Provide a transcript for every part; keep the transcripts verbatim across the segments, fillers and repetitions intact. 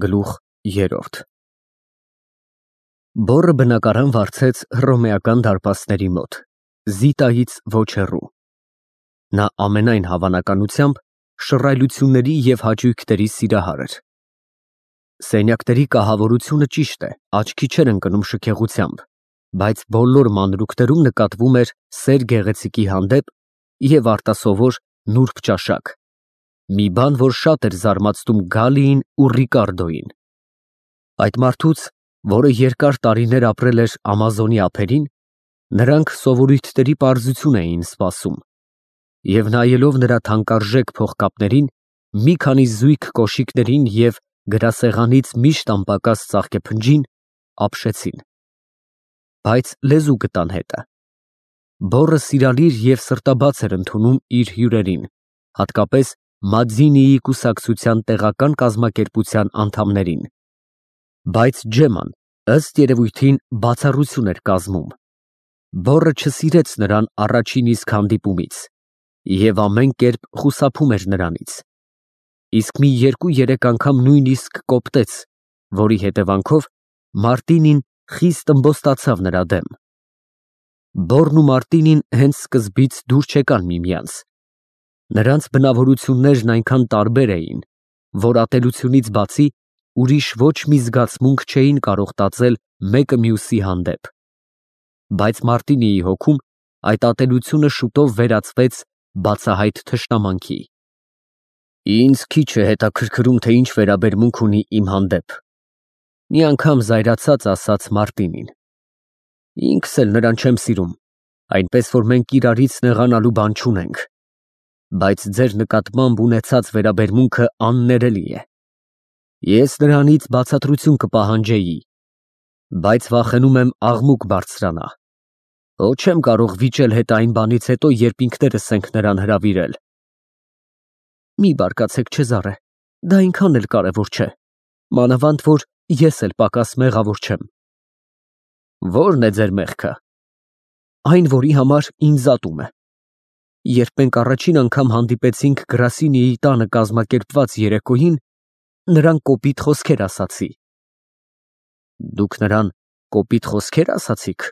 Գլուխ երրորդ Բոռը բնակարան վարձեց հռոմեական դարպասների մոտ, Զիտայից ոչ հեռու։ Նա ամենայն հավանականությամբ շռայլությունների և հաճույքների սիրահար էր։ Սենյակների կահավորությունը ճիշտ է, աչքի չէր ընկնում շքեղությամբ, բայց բոլոր մանրուքներում նկատվում էր սեր գեղեցիկի հանդեպ և արտասովոր նուրբ ճաշակ, մի բան, որ շատ էր զարմացնում Գալիին ու Ռիկարդոյին։ Այդ մարդուց, որը երկար տարիներ ապրել էր Ամազոնի ափերին, նրանք սովորույթների պարզություն էին սպասում, և նայելով նրա թանկարժեք փողկապներին, մի քանի զույգ կոշիկներին և գրասեղանից միշտ անպակաս ծաղկեփնջին, ապշեցին։ Բայց լեզու գտան հետը։ Բոռը սիրալիր և սրտաբաց էր ընդունում իր հյուրերին, հատկապես Մաձինիի կուսակցության տեղական կազմակերպության անդամներին, բայց Ջեման, ըստ երևույթին, բացառություն էր կազմում։ Բոռը չսիրեց նրան առաջին իսկ հանդիպումից և ամեն կերպ խուսափում էր նրանից, իսկ մի երկու֊երեք անգամ նույնիսկ կոպտեց, որի հետևանքով Մարտինին խիստ ըմբոստացավ նրա դեմ։ Բոռն ու Մարտինին հենց սկզբից դուր չեկան միմյանց։ Նրանց բնավորություններն այնքան տարբեր էին, որ ատելությունից բացի ուրիշ ոչ մի զգացմունք չէին կարող տածել մեկը մյուսի հանդեպ։ Բայց Մարտինիի հոգում այդ ատելությունը շուտով վերածվեց բացահայտ թշնամանքի։ Ինձ քիչ է հետաքրքրում, թե ինչ վերաբերմունք ունի իմ հանդեպ, մի անգամ զայրացած ասաց Մարտինին։ Ինքս էլ նրան չեմ սիրում, այնպես որ մենք իրարից նեղանալու բան չունենք, բայց ձեր նկատմամբ ունեցած վերաբերմունքը աններելի է։ Ես նրանից բացատրություն կպահանջեի, բայց վախենում եմ աղմուկ բարձրանա։ Հո չեմ կարող վիճել հետ այն բանից հետո, երբ ինքներս ենք նրան հրավիրել։ Մի բարկացեք, Չեզարե, դա այնքան էլ կարևոր չէ, մանավանդ որ ես էլ պակաս մեղավոր չեմ։ Ո՞րն է ձեր մեղքը։ Այն, որի համար ինձ ատում է։ Երբ մենք առաջին անգամ հանդիպեցինք Գրասինիի տանը կազմակերպված երեկոյին, նրան կոպիտ խոսքեր ասացի։ Դուք նրան կոպիտ խոսքեր ասացիք։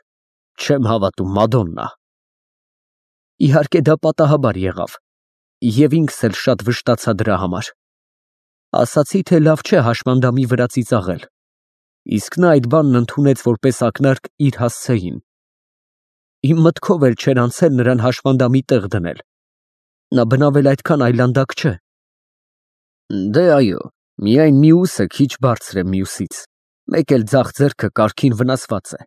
Չեմ հավատում, Մադոննա։ Իհարկե, դա պատահաբար եղավ, և ինքս էլ շատ վշտացա դրա համար։ Ասացի, թե լավ չէ հաշմանդամի վրա ծիծաղել, իսկ նա այդ բանն ընդունեց որպես ակնարկ իր հասցեին։ Իմ մտքով էլ չէր անցել նրան հաշմանդամի տեղ դնել։ Նա բնավ էլ այդքան այլանդակ չէ։ Դե այո, միայն մյուսը քիչ բարձր է մյուսից, մեկ էլ ձախ ձեռքը կարգին վնասված է։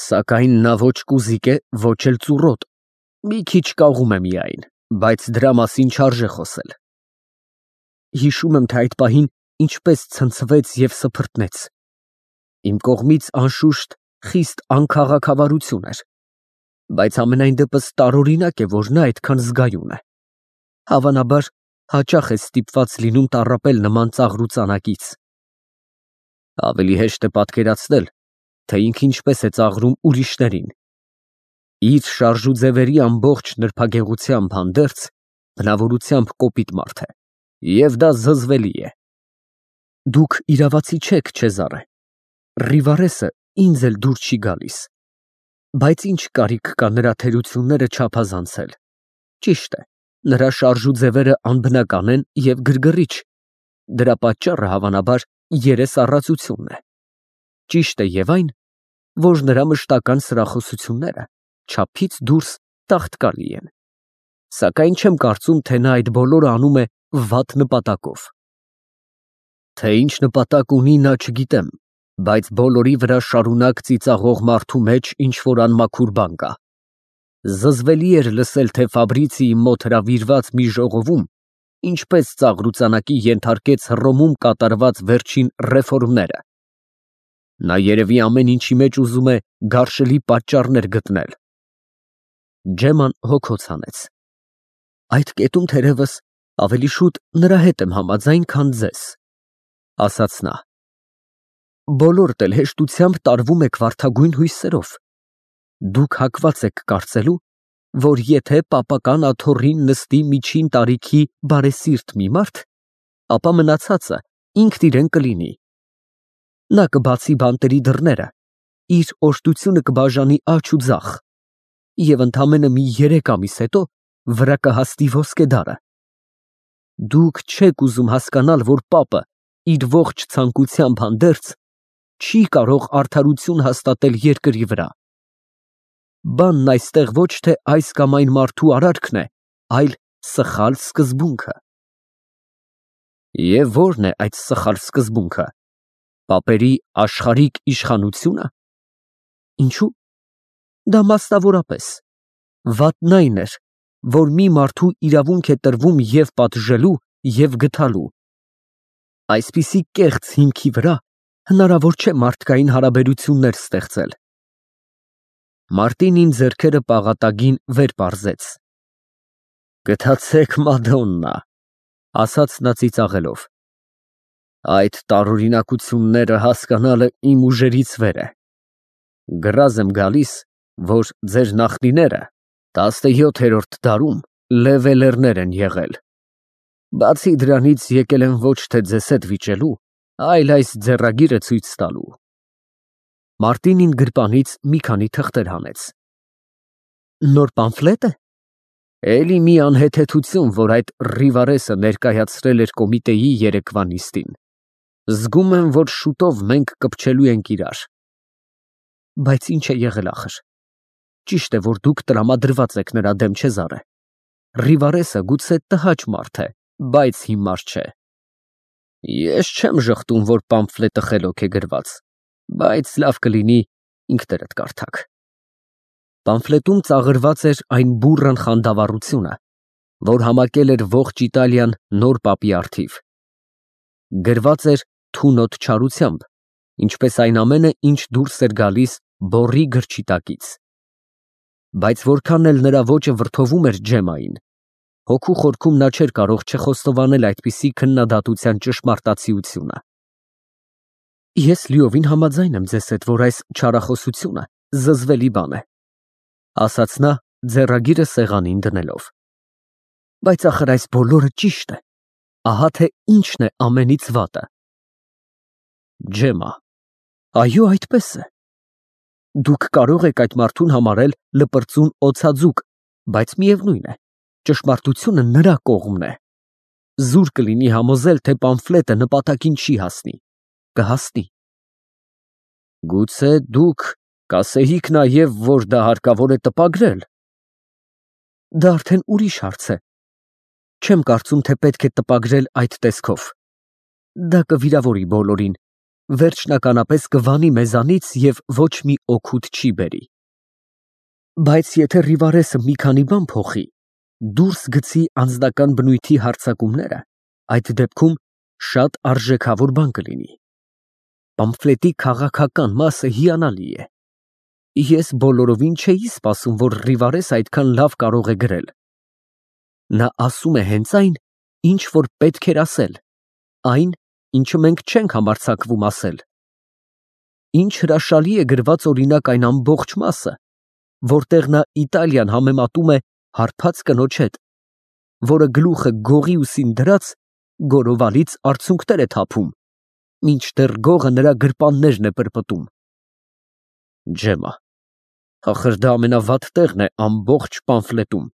Սակայն նա ոչ կուզիկ է, ոչ էլ ծուռոտ, մի քիչ կաղում է միայն, բայց դրա մասին չարժե խոսել։ Հիշում եմ, թե այդ պահին ինչպես ցնցվեց և սփռտնեց։ Իմ կողմից անշուշտ խիստ անքաղաքավարություն էր, բայց համենայն դեպս տարօրինակ է, որ նա այդքան զգայուն է։ Հավանաբար, հաճախ է ստիպված լինում տառապել նման ծաղրուծանակից։ Ավելի հեշտ է պատկերացնել, թե ինքը ինչպես է ծաղրում ուրիշներին։ Իր շարժուձևերի ամբողջ նրբագեղությամբ հանդերձ, բնավորությամբ կոպիտ մարդ է, և դա զզվելի է։ Դուք իրավացի չեք, Չեզարե, Ռիվարեսը ինձ էլ դուր չի գալիս, բայց ինչ կարիք կա նրա թերությունները չափազանցել։ Ճիշտ է, նրա շարժուձևերը անբնական են և գրգռիչ, դրա պատճառը հավանաբար երեսառածությունն է։ Ճիշտ է և այն, որ նրա մշտական սրախոսությունները չափից դուրս տաղտկալի են, սակայն չեմ կարծում, թե նա այդ բոլորը անում է վատ նպատակով։ Թե ինչ նպատակ ունի, նա չգիտեմ, բայց բոլորի վրա շարունակ ծիծաղող մարդու մեջ ինչ-որ անմաքուր բան կա։ Զզվելի էր լսել, թե Ֆաբրիցիի մոտ հրավիրված մի ժողովում ինչպես ծաղրուծանակի ենթարկեց Հռոմում կատարված վերջին ռեֆորմները։ Նա երևի ամեն ինչի մեջ ուզում է գարշելի պատճառներ գտնել։ Ջեման հոգոց հանեց։ Այդ կետում, թերևս, ավելի շուտ նրա հետ եմ համաձայն, քան ձեզ, ասաց նա։ Բոլորդ էլ հեշտությամբ տարվում եք վարդագույն հույսերով։ Դուք հակված եք կարծելու, որ եթե պապական աթոռին նստի միջին տարիքի բարեսիրտ մի մարդ, ապա մնացածը ինքն իրեն կլինի։ Նա կբացի բանտերի դռները, իր օժտությունը կբաժանի աջ ու ձախ, և ընդամենը մի երեք ամիս հետո վրա կհաստի ոսկե դարը։ Դուք չեք ուզում հասկանալ, որ պապը իր ողջ ցանկությամբ հանդերձ չի կարող արդարություն հաստատել երկրի վրա։ Բանն այստեղ ոչ թե այս կամ այն մարդու արարքն է, այլ սխալ սկզբունքը։ Եվ ո՞րն է այդ սխալ սկզբունքը։ Պապերի աշխարհիկ իշխանությո՞ւնը։ Ինչու՞։ Դա մասնավորապես վատն այն էր, որ մի մարդու իրավունք է տրվում և պատժելու, և գթալու։ Այսպիսի կեղծ հիմքի վրա հնարավոր չէ մարդկային հարաբերություններ ստեղծել։ Մարտինին ձեռքերը պաղատագին վեր պարզեց։ Գթացեք, Մադոննա, ասաց նա ծիծաղելով։ Այդ տարօրինակությունները հասկանալը իմ ուժերից վեր է։ Գրազ եմ գալիս, որ ձեր նախնիները տասնյոթերորդ դարում լևելերներ են եղել։ Բացի դրանից եկել են ոչ թե ձեզ հետ վիճելու, այլ այս ձեռագիրը ցույց տալու։ Մարտինին գրպանից մի քանի թղթեր հանեց։ Նոր պամֆլետ է։ Էլի մի անհեթեթություն, որ այդ Ռիվարեսը ներկայացրել էր կոմիտեի երեկվա նիստին։ Զգում եմ, որ շուտով մենք կպչելու ենք իրար։ Բայց ինչ է եղել ախր։ Ճիշտ է, որ դուք տրամադրված եք նրա դեմ, Չեզարե։ Ռիվարեսը գուցե տհաճ մարդ է, բայց հիմար չէ։ Ես չեմ ժխտում, որ պամֆլետը խելոք է գրված, բայց լավ կլինի ինքներդ կարդաք։ Պամֆլետում ծաղրված էր այն բուռն խանդավառությունը, որ համակել էր ողջ Իտալիան նոր պապի առթիվ։ Գրված էր թունոտ չարությամբ, ինչպես այն ամենը, ինչ դուրս էր գալիս բոռի գրչիտակից։ Բայց որքան էլ նրա ոճը վրդովում էր Ջեմմային, հոգու խորքում նա չէր կարող չխոստովանել այդպիսի քննադատության ճշմարտացիությունը։ Ես լիովին համաձայն եմ ձեզ հետ, որ այս չարախոսությունը զզվելի բան է, ասաց նա ձեռագիրը սեղանին դնելով։ Բայց ախր այս բոլորը ճիշտ է։ Ահա թե ինչն է ամենից վատը։ Ջեմմա, այո, այդպես է։ Դուք կարող եք այդ մարդուն համարել լպրծուն օձաձուկ, բայց միևնույն է, ճշմարտությունը նրա կողմն է։ Զուր կլինի համոզել, թե պամֆլետը նպատակին չի հասնի։ Կհասնի։ Գուցե դուք կասեիք նաև, որ դա հարկավոր է տպագրել։ Դա արդեն ուրիշ հարց է։ Չեմ կարծում, թե պետք է տպագրել այդ տեսքով։ Դա կվիրավորի բոլորին, վերջնականապես կվանի մեզանից և ոչ մի օգուտ չի բերի։ Բայց եթե Ռիվարեսը մի քանի բան փոխի, դուրս գցի անձնական բնույթի հարձակումները, այդ դեպքում շատ արժեքավոր բան կլինի։ Պամֆլետի քաղաքական մասը հիանալի է։ Ես բոլորովին չէի սպասում, որ Ռիվարեսը այդքան լավ կարող է գրել։ Նա ասում է հենց այն, ինչ որ պետք էր ասել, այն, ինչը մենք չենք համարձակվում ասել։ Ինչ հրաշալի է գրված օրինակ այն ամբողջ մասը, որտեղ նա Իտալիան համեմատում է հարբած կնոջ հետ, որը գլուխը գողի ուսին դրած գորովալից արցունքներ է թափում, մինչդեռ գողը նրա գրպաններն է պրպտում։ Ջեմմա, ախր դա ամենավատ տեղն է ամբողջ պամֆլետում։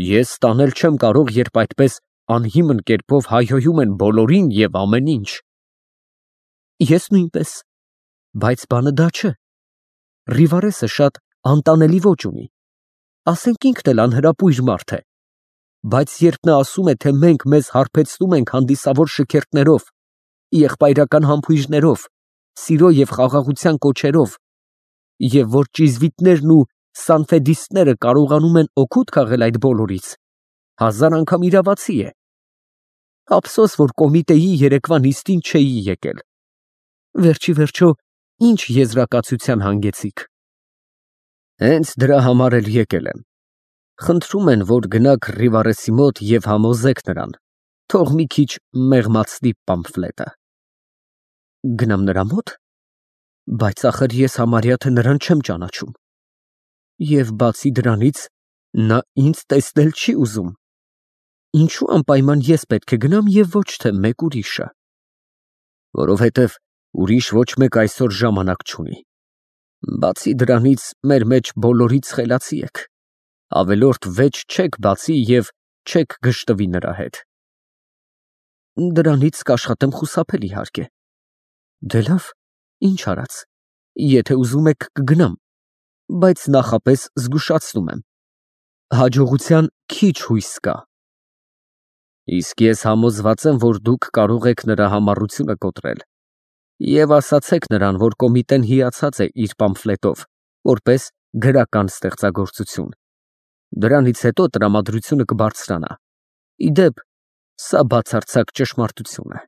Ես ստանել չեմ կարող, երբ այդպես անհիմն կերպով հայհոյում են բոլորին և ամեն ինչ։ Ես նույնպես, բայց բանը դա չէ։ Ռիվարեսը շատ անտանելի ոճ ունի, ասենք ինքն էլ անհրապույր մարդ է, բայց երբ նա ասում է, թե մենք մեզ հարբեցնում ենք հանդիսավոր շքերթներով, եղբայրական համբույրներով, սիրո և խաղաղության կոչերով, և որ ճիզվիտներն ու սանֆեդիստները կարողանում են օգուտ քաղել այդ բոլորից, հազար անգամ իրավացի է։ Ափսոս, որ կոմիտեի երեկվա նիստին չէի եկել։ Վերջի վերջո, ինչ եզրակացության հանգեցիք։ Հենց դրա համար էլ եկել եմ։ Խնդրում են, որ գնաք Ռիվարեսի մոտ և համոզեք նրան, թող մի քիչ մեղմացնի պամֆլետը։ Գնամ նրա մոտ։ Բայց ախր ես համարյա թե նրան չեմ ճանաչում։ Եվ բացի դրանից, նա ինձ տեսնել չի ուզում։ Ինչու անպայման ես պետք է գնամ և ոչ թե մեկ ուրիշը։ Որովհետև ուրիշ ոչ մեկ այսօր ժամանակ չունի։ Բացի դրանից, մեր մեջ բոլորից խելացի եք, ավելորդ վեճ չեք բացի և չեք գժտվի նրա հետ։ Դրանից կաշխատեմ խուսափել, իհարկե։ Դե լավ, ինչ արած, եթե ուզում եք կգնամ, բայց նախապես զգուշացնում եմ, հաջողության քիչ հույս կա։ Իսկ ես համոզված եմ, որ դուք կարող եք նրա համառությունը կոտրել, և ասացեք նրան, որ կոմիտեն հիացած է իր պամֆլետով, որպես գրական ստեղծագործություն, դրանից հետո տրամադրությունը կբարձրանա։ Ի դեպ, սա բացարձակ ճշմարտություն է։